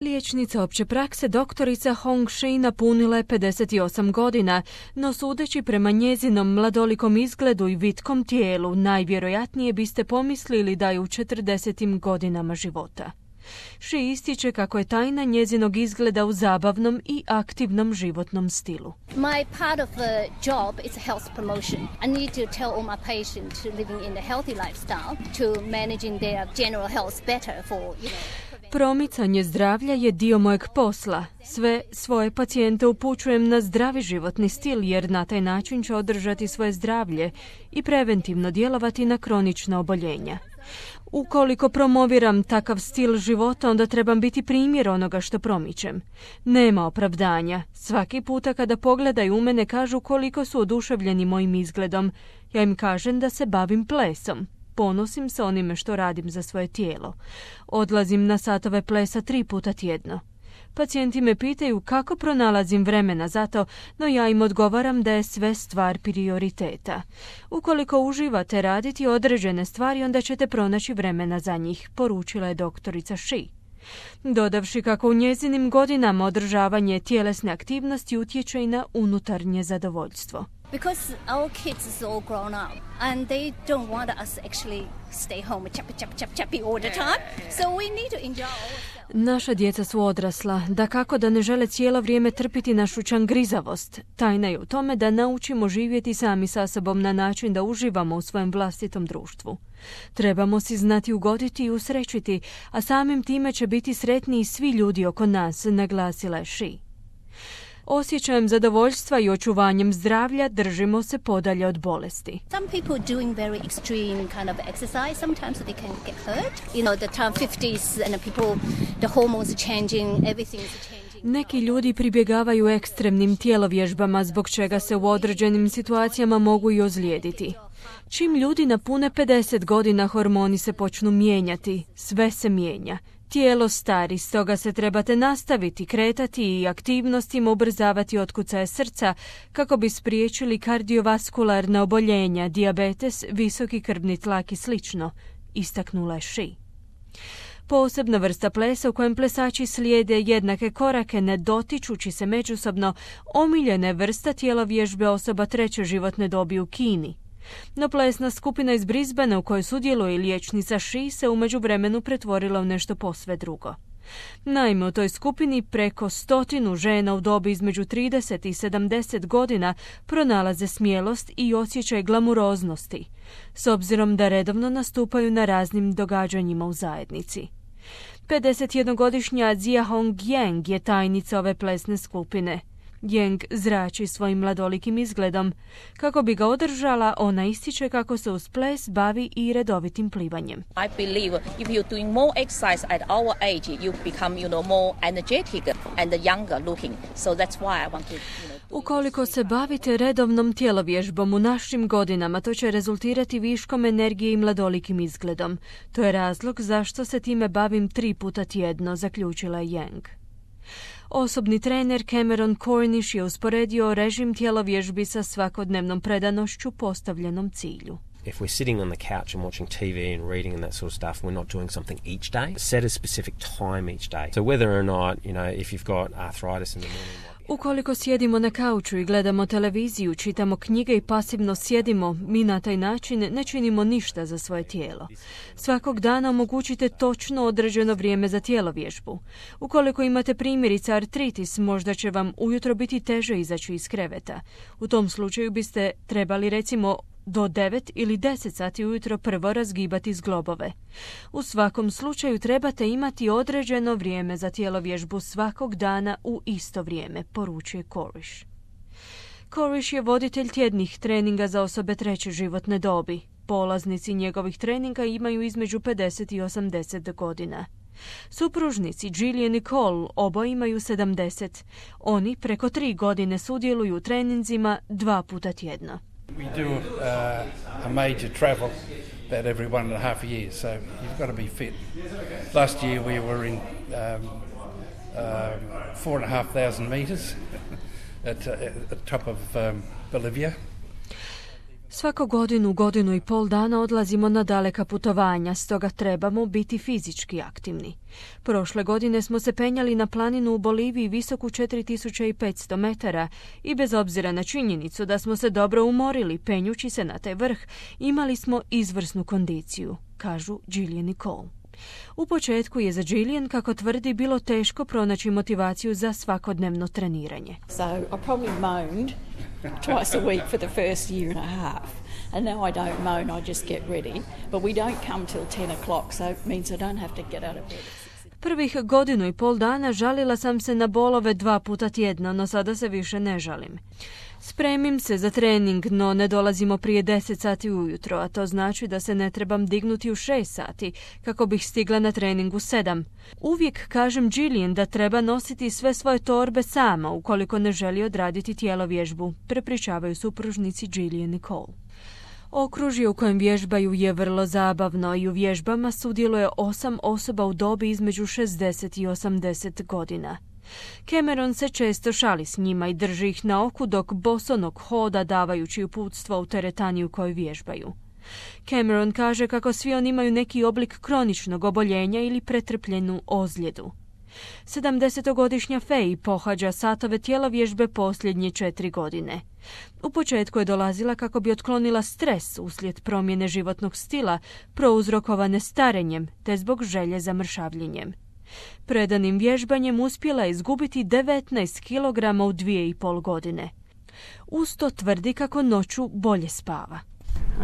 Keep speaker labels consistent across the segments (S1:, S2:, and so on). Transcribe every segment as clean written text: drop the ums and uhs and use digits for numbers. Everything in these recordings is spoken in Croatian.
S1: Liječnica opće prakse doktorica Hong Shi napunila je 58 godina, no sudeći prema njezinom mladolikom izgledu i vitkom tijelu, najvjerojatnije biste pomislili da je u 40 godinama života. Shi ističe kako je tajna njezinog izgleda u zabavnom i aktivnom životnom stilu.
S2: My part of the job is health promotion. I need to tell all my patients to living in a healthy lifestyle, to managing their general health better for,
S1: Promicanje zdravlja je dio mojeg posla. Sve svoje pacijente upućujem na zdravi životni stil jer na taj način će održati svoje zdravlje i preventivno djelovati na kronična oboljenja. Ukoliko promoviram takav stil života, onda trebam biti primjer onoga što promičem. Nema opravdanja. Svaki puta kada pogledaju u mene kažu koliko su oduševljeni mojim izgledom. Ja im kažem da se bavim plesom. Ponosim se onime što radim za svoje tijelo. Odlazim na satove plesa 3 puta tjedno. Pacijenti me pitaju kako pronalazim vremena za to, no ja im odgovaram da je sve stvar prioriteta. Ukoliko uživate raditi određene stvari, onda ćete pronaći vremena za njih, poručila je doktorica Shi. Dodavši kako u njezinim godinama održavanje tjelesne aktivnosti utječe i na unutarnje zadovoljstvo.
S2: Because our kids is all grown up and they don't want us actually stay home chappy all the time. So we need to enjoy ourselves.
S1: Naša djeca su odrasla, da kako da ne žele cijelo vrijeme trpiti našu čangrizavost. Tajna je u tome da naučimo živjeti sami sa sobom na način da uživamo u svojem vlastitom društvu. Trebamo si znati ugoditi i usrećiti, a samim time će biti sretniji svi ljudi oko nas, naglasila je Shi. Osjećajem zadovoljstva i očuvanjem zdravlja držimo se podalje od bolesti.
S2: Some people doing very extreme kind of exercise, sometimes they can get hurt. The time 50s and the hormones are changing, everything is changing.
S1: Neki ljudi pribjegavaju ekstremnim tijelovježbama zbog čega se u određenim situacijama mogu i ozlijediti. Čim ljudi napune 50 godina, hormoni se počnu mijenjati, sve se mijenja. Tijelo stari, stoga se trebate nastaviti kretati i aktivnostima ubrzavati otkucaje srca kako bi spriječili kardiovaskularna oboljenja, dijabetes, visoki krvni tlak i slično, istaknula je Shi. Posebna vrsta plesa u kojem plesači slijede jednake korake ne dotičući se međusobno, omiljena je vrsta tijelovježbe osoba 3. životne dobi u Kini. No plesna skupina iz Brisbanea u kojoj sudjeluje liječnica Shi se u međuvremenu pretvorila u nešto posve drugo. Naime, u toj skupini preko 100 žena u dobi između 30 i 70 godina pronalaze smjelost i osjećaj glamuroznosti, s obzirom da redovno nastupaju na raznim događanjima u zajednici. 51-godišnja Zia Hong Yang je tajnica ove plesne skupine. Yang zrači svojim mladolikim izgledom. Kako bi ga održala, ona ističe kako se uz ples bavi i redovitim plivanjem.
S3: I believe if you're doing more exercise at our age, you become, more energetic and younger looking. So that's why I want to,
S1: Ukoliko se bavite redovnom tijelovježbom u našim godinama, to će rezultirati viškom energije i mladolikim izgledom. To je razlog zašto se time bavim 3 puta tjedno, zaključila je Yang. Osobni trener Cameron Cornish je usporedio režim tijelovježbi sa svakodnevnom predanošću postavljenom cilju.
S4: If we're sitting on the couch and watching TV and reading and that sort of stuff, we're not doing something each day. Set a specific time each day. So whether or not, if you've got arthritis in the morning...
S1: Ukoliko sjedimo na kauču i gledamo televiziju, čitamo knjige i pasivno sjedimo, mi na taj način ne činimo ništa za svoje tijelo. Svakog dana omogućite točno određeno vrijeme za tijelovježbu. Ukoliko imate primjerice artritis, možda će vam ujutro biti teže izaći iz kreveta. U tom slučaju biste trebali recimo do 9 ili 10 sati ujutro prvo razgibati zglobove. U svakom slučaju trebate imati određeno vrijeme za tijelovježbu svakog dana u isto vrijeme, poručuje Cornish. Cornish je voditelj tjednih treninga za osobe 3. životne dobi. Polaznici njegovih treninga imaju između 50 i 80 godina. Supružnici Jillian i Cole oboje imaju 70. Oni preko 3 godine sudjeluju u treninzima 2 puta tjedno.
S5: We do a major travel about every 1.5 years, so you've got to be fit. Last year we were in 4,500 meters at the top of Bolivia.
S1: Svako godinu i pol dana odlazimo na daleka putovanja, stoga trebamo biti fizički aktivni. Prošle godine smo se penjali na planinu u Boliviji visoku 4500 metara i bez obzira na činjenicu da smo se dobro umorili penjući se na taj vrh, imali smo izvrsnu kondiciju, kažu Gillian i Cole. U početku je za Gillian, kako tvrdi, bilo teško pronaći motivaciju za svakodnevno treniranje.
S6: So I probably moaned twice a week for the first year and a half. And now I don't moan, I just get ready. But we don't come till 10 o'clock, so it means I don't have to get out of bed.
S1: Prvih godinu i pol dana žalila sam se na bolove 2 puta tjedno, no sada se više ne žalim. Spremim se za trening, no ne dolazimo prije 10 sati ujutro, a to znači da se ne trebam dignuti u 6 sati kako bih stigla na trening u 7. Uvijek kažem Gillian da treba nositi sve svoje torbe sama ukoliko ne želi odraditi tjelovježbu, prepričavaju supružnici Gillian i Cole. Okružje u kojem vježbaju je vrlo zabavno i u vježbama sudjeluje 8 osoba u dobi između 60 i 80 godina. Cameron se često šali s njima i drži ih na oku dok bosonog hoda davajući uputstva u teretani u kojoj vježbaju. Cameron kaže kako svi oni imaju neki oblik kroničnog oboljenja ili pretrpljenu ozljedu. 70-godišnja Faye pohađa satove tjelovježbe posljednje 4 godine. U početku je dolazila kako bi otklonila stres uslijed promjene životnog stila prouzrokovane starenjem te zbog želje za mršavljenjem. Predanim vježbanjem uspjela je izgubiti 19 kg u 2,5 godine. Uz to tvrdi kako noću bolje spava.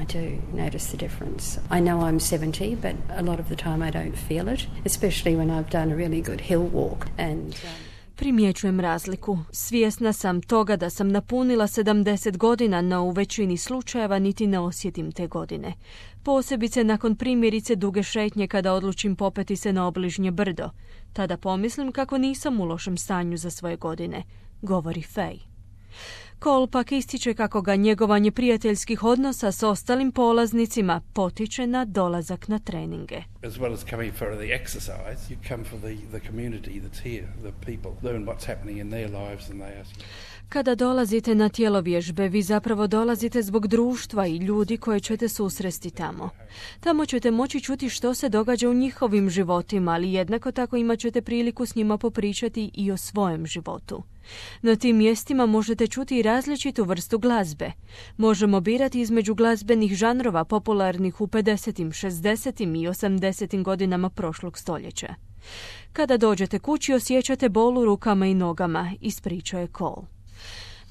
S7: I do notice the difference. I know I'm 70, but a lot of the time I don't feel it, especially when I've done a really good hill walk.
S1: Primjećujem razliku. Svjesna sam toga da sam napunila 70 godina, no u većini slučajeva niti ne osjetim te godine. Posebice nakon primjerice duge šetnje kada odlučim popeti se na obližnje brdo. Tada pomislim kako nisam u lošem stanju za svoje godine, govori Faye. Cole pak ističe kako ga njegovanje prijateljskih odnosa s ostalim polaznicima potiče na dolazak na treninge.
S5: As well as coming for the exercise, you come for the community that's here, the people, learn what's happening in their lives and they ask you.
S1: Kada dolazite na tjelovježbe, vi zapravo dolazite zbog društva i ljudi koje ćete susresti tamo. Tamo ćete moći čuti što se događa u njihovim životima, ali jednako tako imat ćete priliku s njima popričati i o svojem životu. Na tim mjestima možete čuti i različitu vrstu glazbe. Možemo birati između glazbenih žanrova popularnih u 50., 60. i 80. godinama prošlog stoljeća. Kada dođete kući osjećate bol u rukama i nogama, ispričao je Cole.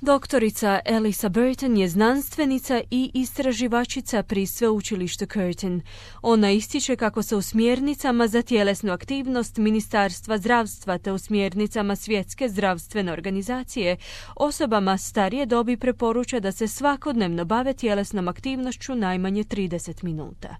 S1: Doktorica Elisa Burton je znanstvenica i istraživačica pri sveučilištu Curtin. Ona ističe kako se u smjernicama za tjelesnu aktivnost Ministarstva zdravstva te u smjernicama Svjetske zdravstvene organizacije osobama starije dobi preporuča da se svakodnevno bave tjelesnom aktivnošću najmanje 30 minuta.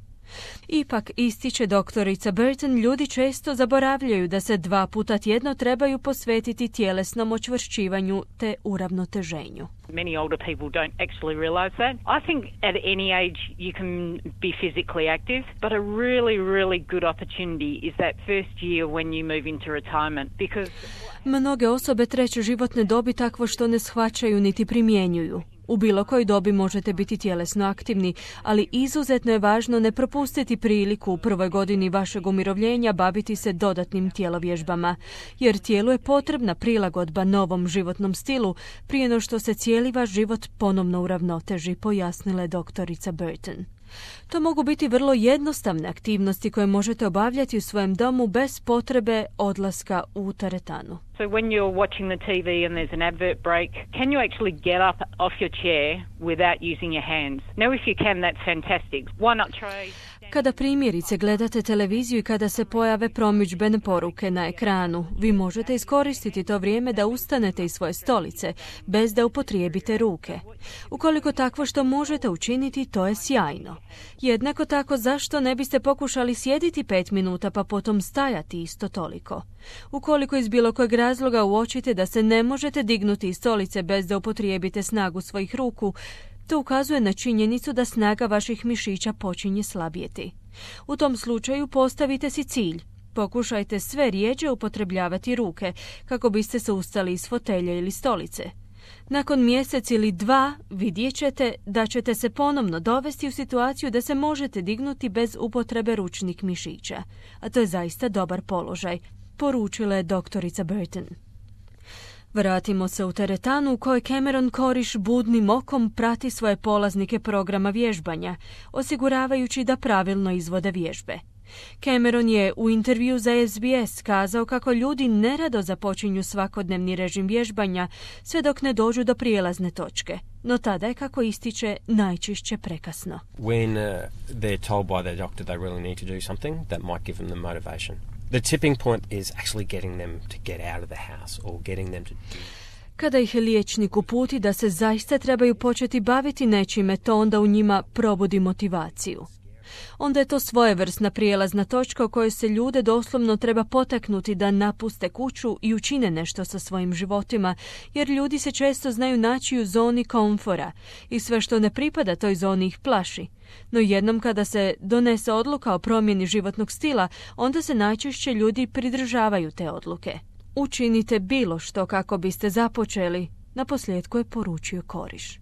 S1: Ipak, ističe doktorica Burton, ljudi često zaboravljaju da se 2 puta tjedno trebaju posvetiti tjelesnom očvršćivanju te uravnoteženju.
S8: Many older people don't actually realize that. I think at any age you can be physically active, but a really good opportunity is that first year when you move into retirement because
S1: mnoge osobe treće životne dobi takvo što ne shvaćaju niti primjenjuju. U bilo kojoj dobi možete biti tjelesno aktivni, ali izuzetno je važno ne propustiti priliku u prvoj godini vašeg umirovljenja baviti se dodatnim tjelovježbama, jer tijelu je potrebna prilagodba novom životnom stilu prije no što se cijeli vaš život ponovno uravnoteži, pojasnila je doktorica Burton. To mogu biti vrlo jednostavne aktivnosti koje možete obavljati u svojem domu bez potrebe odlaska u teretanu.
S8: So when you're watching the TV and there's an advert break, can you actually get up off your chair without using your hands? Now if you can, that's fantastic. Why not try...
S1: Kada primjerice gledate televiziju i kada se pojave promidžbene poruke na ekranu, vi možete iskoristiti to vrijeme da ustanete iz svoje stolice, bez da upotrijebite ruke. Ukoliko takvo što možete učiniti, to je sjajno. Jednako tako, zašto ne biste pokušali sjediti 5 minuta pa potom stajati isto toliko? Ukoliko iz bilo kojeg razloga uočite da se ne možete dignuti iz stolice bez da upotrijebite snagu svojih ruku, to ukazuje na činjenicu da snaga vaših mišića počinje slabjeti. U tom slučaju postavite si cilj. Pokušajte sve rjeđe upotrebljavati ruke kako biste se ustali iz fotelje ili stolice. Nakon mjesec ili 2 vidjet ćete da ćete se ponovno dovesti u situaciju da se možete dignuti bez upotrebe ručnih mišića, a to je zaista dobar položaj, poručila je doktorica Burton. Vratimo se u teretanu u kojoj Cameron Koriš budnim okom prati svoje polaznike programa vježbanja, osiguravajući da pravilno izvode vježbe. Cameron je u intervju za SBS kazao kako ljudi nerado započinju svakodnevni režim vježbanja sve dok ne dođu do prijelazne točke, no tada je, kako ističe, najčešće prekasno.
S4: When they're told by their doctor they really need to do something, that might give them the motivation. The tipping point is actually getting them to get out of the house or getting them to do.
S1: Kada ih liječnik uputi da se zaista trebaju početi baviti nečime, to onda u njima probudi motivaciju. Onda je to svojevrsna prijelazna točka u kojoj se ljude doslovno treba potaknuti da napuste kuću i učine nešto sa svojim životima, jer ljudi se često znaju naći u zoni komfora i sve što ne pripada toj zoni ih plaši. No jednom kada se donese odluka o promjeni životnog stila, onda se najčešće ljudi pridržavaju te odluke. Učinite bilo što kako biste započeli, naposljetku je poručio Koriš.